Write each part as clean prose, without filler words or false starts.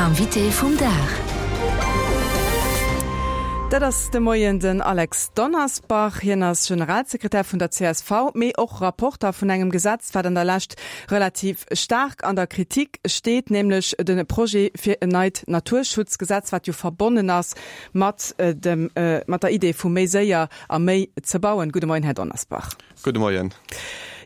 Invité vum Dag. Dat ass de Moien den Alex Donnersbach. Hien ass Generalsekretär vun der csv, mee och Rapporter vun engem Gesetz, wat an der Lescht relativ staark an der Kritik steet, nämlech de Projet fir en neit Naturschutzgesetz, wat jo verbonnen ass mat dem, mat der Idee vu méi séier a méi ze bauen. Gudde Moien, Här Donnersbach. Gudde Moien.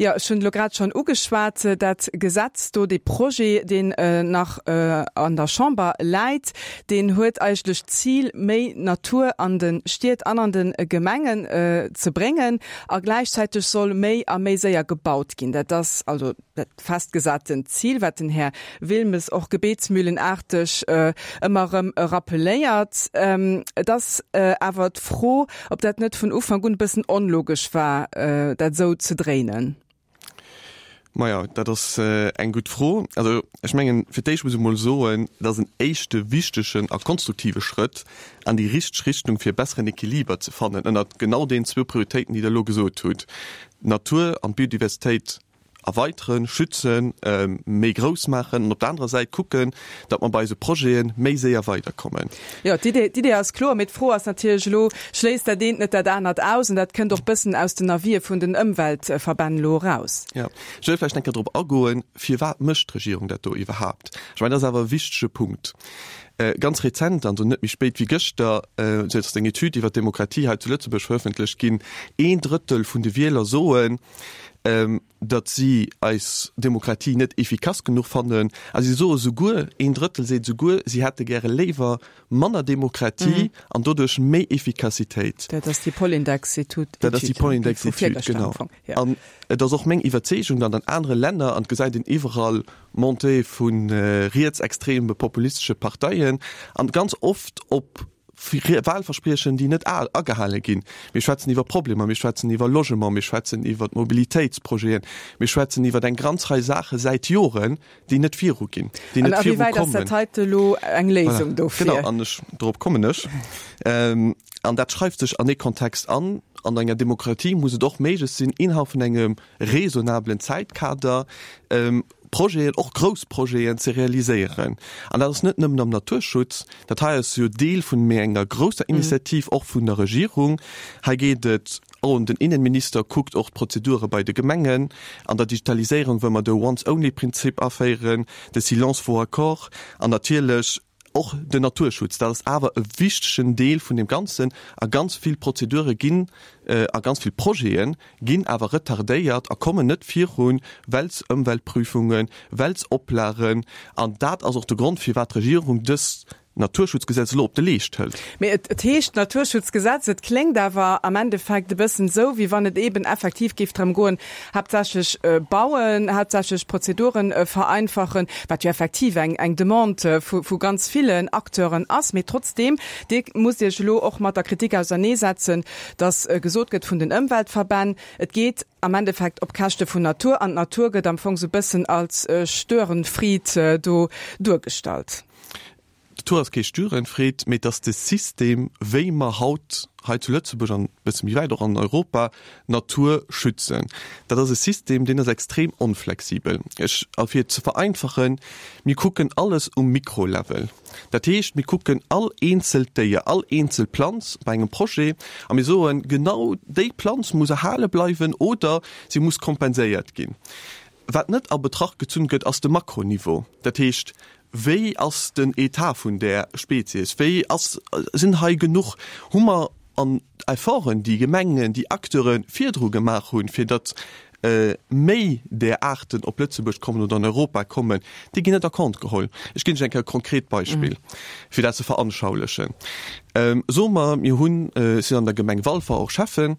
Jo, ech hunn et elo grad schonn ugeschwat, dat Gesetz do, dee Projet, deen nach an der Chamber läit, deen huet eigentlech d'Zil, méi Natur an de Stied an an de Gemengen ze bréngen a gläichzäiteg soll méi a méi séier gebaut ginn. Dat ass also dat festgesaten Zil, wat den Här Wilmes och gebetsmühlenaarteg ëmmer erëm rappeléiert. Et ass awer d'Fro, ob dat net vun Ufank un e bëssen onlogesch war, dat esou ze dréinen. Maja, dat ass eng gutt Fro. Also ech mengen, fir d'éischt muss ech emol soen, et ass en éischte wichtegen a konstruktive Schrëtt an déi richteg Richtung, fir e besseren Equiliber ze fannen ënnert genau deenen zwou Prioritéiten, déi Der elo gesot hutt, d'Natur an d'Biodiversitéit erweiteren, schützen, méi grouss maachen an op der anerer Säit kucken, datt mer bei eise Projete méi séier weiderkommen. Jo, d'Idee, d'Idee ass kloer, mee d'Fro ass natierlech elo, Schléisst dat eent net dat anert aus? An dat kënnt och bëssen aus den Avisë vun den Ëmweltverbänn elo eraus. Jo, ech wëll vläicht eng Kéier drop agoen, Firwat mécht d'Regierung dat do iwwerhaapt? Ech mengen, dat ass awer e wichtege Punkt. Ganz rezent, also net méi spéit wéi gëschter, sou ass eng Etüd iwwer d'Demokratie hei zu Lëtzebuerg verëffentlecht ginn, Een Drëttel vun de Wieler soen, datt si eis Demokratie net efficace genuch fannen. A si soe souguer, een Drëttel seet souguer, si hätte gäre léiwer manner Demokratie an doduerch méi Efficacitéit. Dat ass déi Polindex-Etüd. Dat ass déi Polindex-Etüd, genau. An et ass och meng Iwwerzeegung, datt an anere Länner, an et gesäit een iwwerall Montée vu rietsextreme populistesche Parteien, an ganz oft op Wahlverspriechen, déi net agehale ginn. Mir schwätzen iwwer Problemer, mir schwätzen iwwer Logement, mir schwätzen iwwer d'Mobilitéitsprojeten, mir schwätzen iwwer eng ganz Rei Saache säit Joren, déi net viruginn, déi net virukommen. An a wéi wäit ass dat heite elo eng Léisung dofir? Genau, an ech, dorop kommen ech. An dat schreift sech an ee Kontext an. An enger Demokratie muss et och méiglech sinn, innerhalb vun engem raisonnablen Zäitkader Projeten, och grouss Projeten ze realiséieren. An dat ass net nëmmen am Naturschutz, dat hei ass jo Deel vun méi enger grousser Initiativ och vun der Regierung. Hei geet et oh, den Innenminister kuckt och d'Prozedure bei de Gemengen. An der Digitaliséierung wëlle mer de Once-only-Prinzip aféieren, de Silence vaut accord an natierlech Och den Naturschutz, dat ass awer e wichtegen Deel vun deem Ganzen. A ganz vill Prozedure ginn a ganz vill Projete ginn awer retardéiert a kommen net virun, well s Ëmweltprüfungen, well s Oplagen. An dat ass och de Grond, firwat d'Regierung dëst Naturschutzgesetz elo op de Leescht hëlt. Mee et heescht Naturschutzgesetz, et kléngt awer am Endeffekt e bëssen esou, wéi wann et eeben effektiv géif drëm goen, Haaptsächlech bauen, haaptsächlech Prozeduren vereinfachen, wat jo effektiv eng eng Demande vu vu ganz villen Acteuren ass. Mee trotzdeem, Dir musst Iech elo och mat der Kritik auserneesetzen, datt gesot gëtt vun den Ëmweltverbänn, et geet am Endeffekt op Käschte vun Natur an d'Natur gëtt am Fong sou bëssen als Störenfried do duergestallt. D'Natur ass kee Störenfried, mee et ass de System, wéi mer haut hei zu Lëtzebuerg an e bësse méi wäit och an Europa d'Natur schützen. Dat ass e System, deen ass extrem onflexibel. Ech, a fir et ze vereinfachen, mir kucken alles um Mikrolevel. Dat heescht, mir kucken all eenzelt Déier, all eenzel Planz bei engem Projet a mir soen, genau déi Planz muss erhale bleiwen oder si muss kompenséiert ginn. Wat net a Betracht gezunn gëtt, ass de Makroniveau. Dat heescht, wéi ass den Etat vun där Spezies? Wéi ass, sinn hei genuch, hu mer an Efforten, déi Gemengen, déi Acteure virdru gemaach hunn, fir datt méi där Aarten op Lëtzebuerg kommen oder an Europa kommen, déi ginn net a Compte geholl. Ech ginn lech eng Kéier e konkret Beispill, fir dat ze veranschaulichen. Soe mer, mir hunn, ech sinn an der Gemeng Walfer och Schäffen,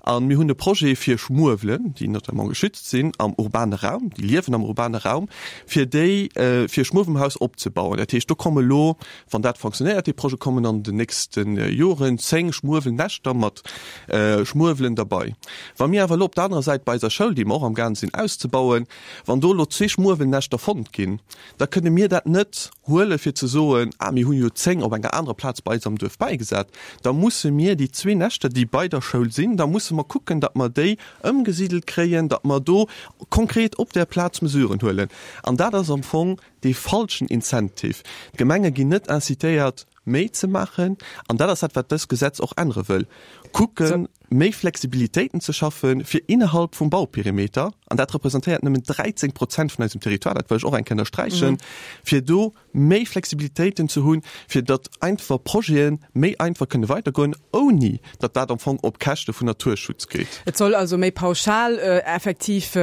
A mir hunn e Projet fir Schmuewelen, déi notamment geschützt sinn am urbane Raum, déi liewen am urbane Raum, fir déi, fir e Schmuewelhaus opzebauen. Dat heescht, do komme lo, wann dat fonctionnéiert, dee Projet, kommen an den nächste Joren 10 Schmuewelnäschter mat Schmuewelen derbei. Wa mir awer elo op der anerer Säit bei eiser Schoul, déi mer och amgaang sinn auszebauen, wann do elo zwee Schmuewelnäschter fonnt ginn, da kënne mir dat net. Huele fir ze soen, ah mir hunn jo 10 op enger anerer Plaz bei eis am Duerf bäigesat, da musse mir déi zwee Näschter, déi bei der Schoul sinn, da musse mer kucken, datt mer déi ëmgesidelt kréien, datt mer do konkret op där Plaz Mesuren huelen. An dat ass am Fong dee falschen Incentive. D'Gemenge ginn net incitéiert, méi ze maachen. An dat ass dat, wat dëst Gesetz och ännere wëll, kucken, méi Flexibilitéiten ze schaffen, fir innerhalb vum Bauperimeter, an dat representéiert nëmmen 13 Prozent vun eisem Territoire, dat wëll ech och eng Kéier ënnersträichen, fir do méi Flexibilitéiten ze hunn, fir datt einfach Projete méi einfach kënne weidergoen, ouni datt dat am Fong op Käschte vun Naturschutz geet. Et soll also méi pauschal effektiv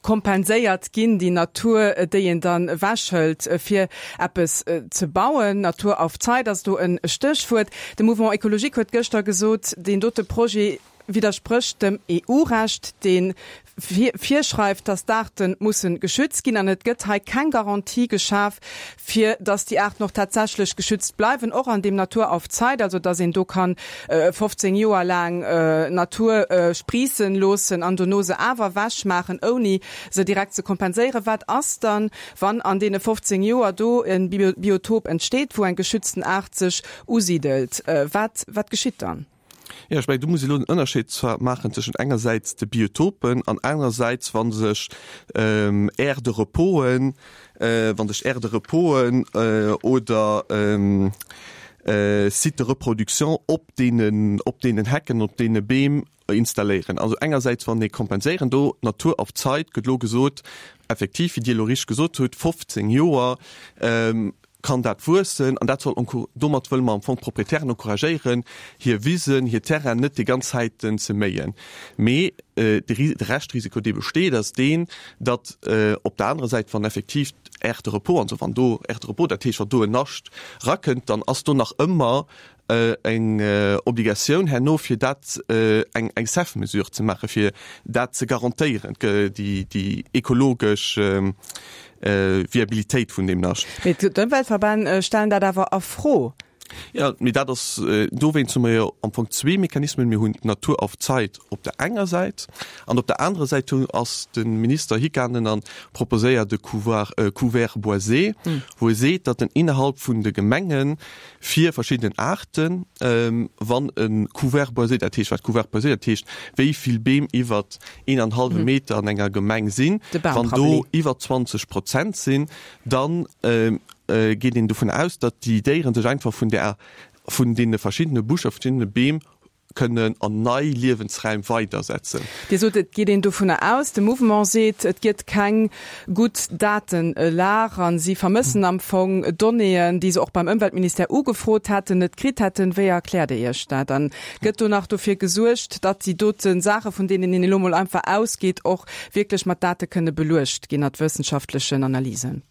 kompenséiert ginn, déi Natur, déi een dann ewechhëlt, fir eppes ze bauen. Natur auf Zeit ass do e Stéchwuert. De Mouvement Ecologique huet gëschter gesot, deen dote Projet widdersprécht dem EU-Recht, dee virschreift, datt d'Aarte musse geschützt ginn. An et gëtt hei keng Garantie geschaf, fir datt déi Aarten och tatsächlech geschützt bleiwen, och an deem Natur auf Zeit, also datt een do kann 15 Joer laang Natur spriissen loossen an dono se awer ewechmaachen, ouni se direkt ze kompenséieren. Wat ass dann, wann an deene 15 Joer do e Biotop entsteet, wou eng geschützten Aart sech usidelt? Wat, wat geschitt dann? Jo, ech mengen, do muss ee elo den Ënnerscheed zwar maachen tëschent engersäits de Biotopen an anerersäits, wa sech Aires de reposen, wa sech Aires de reposen oder Sites de reproduction op deenen, op deenen Hecken, op deene Beem installéieren. Also engersäits wann ee kompenséieren do, Natur auf Zeit gëtt elo gesot, effektiv, wéi Dir elo richteg gesot hutt, 15 Joer kann dat wuessen an dat soll domat wëlle mer am Fong d'Proprietären encouragéieren, hir Wisen, hir Terrainen net déi ganz Zäiten ze méien. Mee de Reschtrisiko, dee besteet, ass deen, datt op der anerer Säit, wann effektiv d'Aire de repos, also wann do Aire de repos, dat heescht, wann do en Nascht rakënnt, dann ass do nach ëmmer eng Obligatioun herno, fir dat eng eng CEF-Mesure ze maachen, fir dat ze garantéieren, déi ekologesch Viabilitéit vun deem Nascht. Mee d'Ëmweltverbänn stellen dat awer a Fro. Jo, mee dat ass, dowéinst hu mer jo am Fong zwee Mechanismen. Mir hunn d'Natur auf Zeit op der enger Säit an op der anerer Säit hu ass de Minister higaangen a proposéiert e Couvoir, Couvert boisé, wou e seet, datt en innerhalb vun de Gemengen fir verschiddenen Aarten, wann e Couvert boisé, dat heescht, wat Couvert boisé, dat heescht, wéi vill Beem iwwer een an hallwe Meter an enger Gemeng sinn, wann do iwwer 20 Prozent sinn, da geet een dovun aus, datt déi Déiere sech einfach vun där, vun deene verschiddene Buscher, verschiddene Beem kënnen an nei Liewensräim weidersetzen. Dir sot, et geet een dovunner aus, de Mouvement seet, et gëtt keng gutt Datenlag a si vermëssen am Fong Donnéeën, déi se och beim Ëmweltministère ugefrot hätten, net kritt hätten. Wéi erkläert Dir Iech dat? An gëtt do nach dofir gesuergt, datt déi dote Saache, vun deenen een elo mol einfach ausgeet, och wierklech mat Date kënne beluecht ginn, mat wëssenschaftlechen Analysen?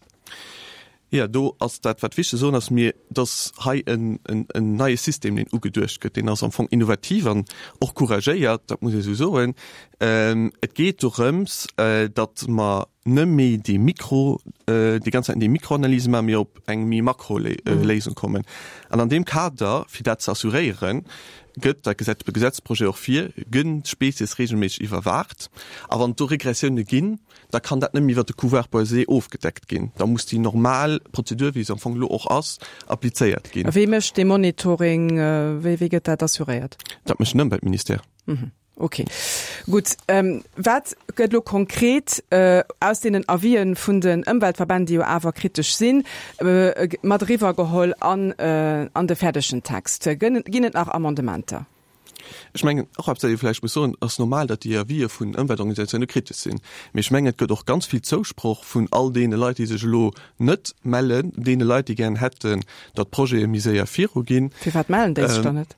Jo, do ass dat, wat wichteg ze soen ass, mir, dass hei en neie System, deen ugeduecht gëtt, deen ass am Fong innovativ an och couragéiert, dat muss ee esou soen. Et geet dorëms, datt mer net méi déi Mikro, déi ganz Zäiten déi Mikroanalyse maachen, mee op eng méi Makroléisung kommen. An an deem Kader, fir dat ze assuréieren, gëtt, dat gesäit de Gesetzprojet och vir, gënn d'Spezies regelméisseg iwwerwaacht. A wann et do Regressioune ginn, da kann dat nëmmen iwwert de Couvert boisé ofgedeckt ginn. Da muss déi normal Prozedur, wéi se am Fong elo och ass, applizéiert ginn. A wee mécht dee Monitoring? Wéi, wéi gëtt dat assuréiert? Dat mécht den Ëmweltministère. Okay, gutt. Wat gëtt elo konkret aus deenen Avisë vun den Ëmweltverbänn, déi jo awer kritesch sinn, mat eriwwergeholl an an de fäerdegen Text? Ginn et nach Amendementer? Ech mengen, och eppes, wat ee vläicht muss soen, Et ass normal, datt déi Avisë vun Ëmweltorganisatioune kritesch sinn. Mee ech mengen, et gëtt och ganz vill Zousproch vun all deene Leit, déi sech elo net mellen, deene Leit, déi gären hätten, datt d'Projete méi séier viruginn. Firwat mellen déi sech dann net?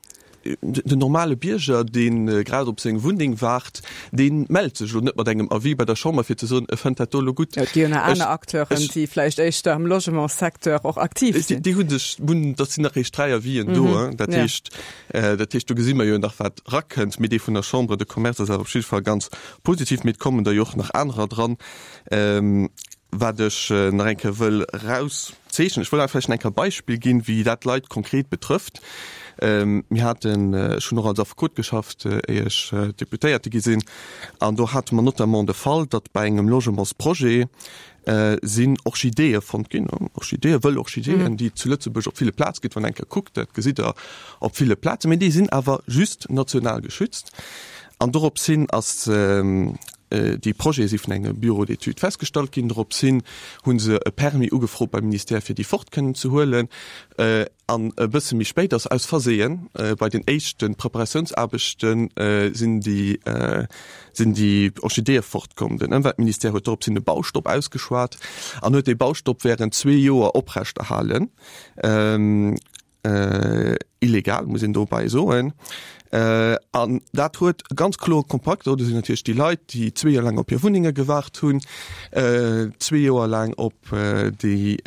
Den normale Bierger, dee grad op seng Wunneng waart, dee mellt sech elo net mat engem Avis bei der Chamber, fir ze soen, e fënnt dat do elo gutt. Et gi jo nach aner Acteuren, déi vläicht éischter am Logementssecteur och aktiv sinn. Déi hu sech, dat sinn nach eréischt 3 Avisen do, dat heescht, Dat heescht, do gesi mer jo nach, wat erakënnt. Mee dee vun der Chambre de Commerce ass awer op jidde Fall ganz positiv. Mee et kommen der jo och nach anerer dran. Wat ech nach eng Kéier wëll erauszeechnen, ech wëll awer vläicht nach eng Kéier e Beispill ginn, wéi dat d'Leit konkret betrëfft. Mir haten, ech hunn och als Affekot geschafft, éier ech Deputéierte gi sinn, an do hate mer notamment de Fall, datt bei engem Logementsprojet. sinn Orchideeë fonnt ginn, Orchideeë, wëll Orchideeën, déi et zu Lëtzebuerg op ville Plaze gëtt. Wann eng Kéier kuckt, dat gesitt Der op ville Plazen, mee déi sinn awer just national geschützt. An dorops hin ass déi Projete si vun engem Bureau d'études festgestallt ginn. Dorops hin hu se e Permis ugefrot beim Ministère, fir déi fort kënnen ze huelen. An e bësse méi spéit ass aus Verseeën bei den éischte Preparatiounsaarbechte sinn déi sinn déi Orchideeë fortkomm. Den Ëmweltministère huet dorops hin e Baustopp ausgeschwat an huet dee Baustopp wärend zwee Joer oprechterhalen. Illegal, muss een dobäi soen. An dat huet e ganz kloere Kompakt. Do sinn natierlech déi Leit, déi zwee Joer laang op hir Wunnenge gewaart hunn, zwee Joer laang op déi,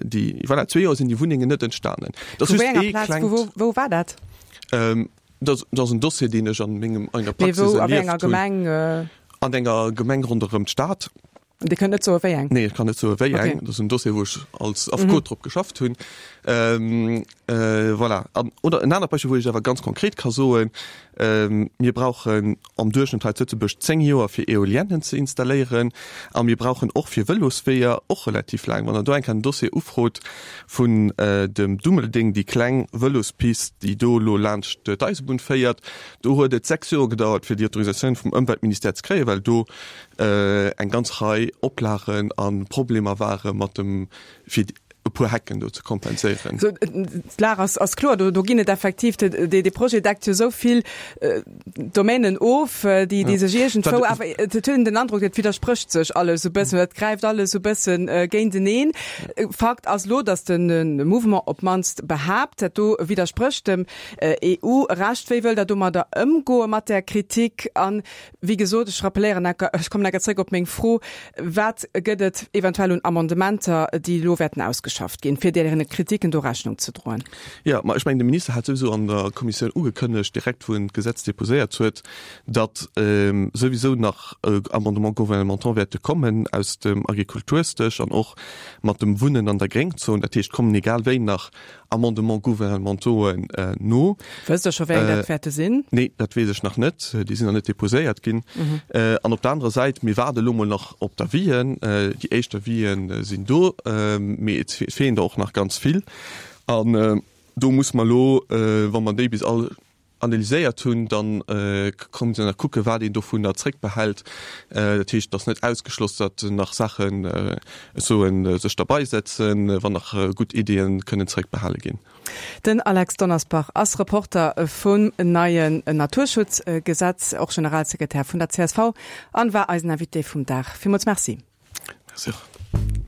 déi, voilà, zwee Joer sinn déi Wunnengen net entstanen. Dat ass just ee klengt. Wou war dat? Dat ass en Dossier, deen ech an mengem, an enger Praxis erlieft hunn. An enger Gemeng ronderëm d'Stad. Dir kënnt net soe wéi eng? Nee, ech kann net soe wéi eng. Okay. Dat ass en Dossier, wou ech als Affekot mhm. drop geschafft hunn. Ähm, äh, voilà. An, oder en anert Beispill, wou ech awer ganz konkret ka soen, ähm, mir brauchen am Duerchschnëtt hei zu Lëtzebuerg 10 Joer fir Eoliennen ze installéieren a mir brauchen och fir Vëlosweeër och relativ laang. Wann der do eng Kéier en Dossier ufrot vun äh, dem Dummeldeng, déi kleng Vëlospist, déi do elo laanscht d'Eisebunn féiert, do huet et 6 Joer gedauert fir déi Autorisatioun vum Ëmweltministère ze kréien, well do eng ganz Rei Oplagen a Problemer ware mat dem, fir e puer Hecken do ze kompenséieren. Sou, d'Lag ass, ass kloer. Do, do ginn et effektiv, dee, dee Projet deckt jo esou vill Domänen of, déi, déi sech iergendwou awer, et huet een den Androck, et widdersprécht sech alles e bëssen oder et gräift alles e bësse géinteneen. Fakt ass elo, datt de Mouvement op d'mannst behaapt, dat do widdersprécht dem EU-Recht. Wéi wëllt Der domadder ëmgoe mat där Kritik? An Wéi gesot, ech rappeléieren enker, ech kommen enker zréck op meng Fro, Wat gëtt et eventuell un Amendementer, déi elo wäerten ausgeschafft ginn, fir deene Kritiken do Rechnung ze droen? Jo, ma ech mengen, de Minister hat souwisou an der Kommissioun ugekënnegt, direkt wou en d'Gesetz déposéiert huet, datt souwisou nach Amendements gouvernementaux wäerte kommen aus dem Agrikultursdësch an och mat dem Wunnen an der Gréngzon. Dat heescht, kommen egal wéi nach Amendements gouvernementauxen no. Wësst Der scho, wéi eng dat wäerte sinn? Nee, dat weess ech nach net. Déi sinn nach net deposéiert ginn. An op der anerer Säit, mir waarde elo mol nach op d'Avisen. Déi éischt Avisen sinn do, mee et feelen der och nach ganz vill. An do muss mer elo, wa mer déi bis all analyséiert hunn, dann kann een nach kucken, wat een dovunner zréckbehält. Dat heescht, et ass net ausgeschloss, datt nach Saachen, ech soen, sech derbeisetzen, wann nach gutt Iddien kënnen zréckbehale ginn. Den Alex Donnersbach ass Reporter vum neien Naturschutzgesetz, och Generalsekretär vun der csv an war eisen Invité vum Dag. Villmools Merci. Merci och.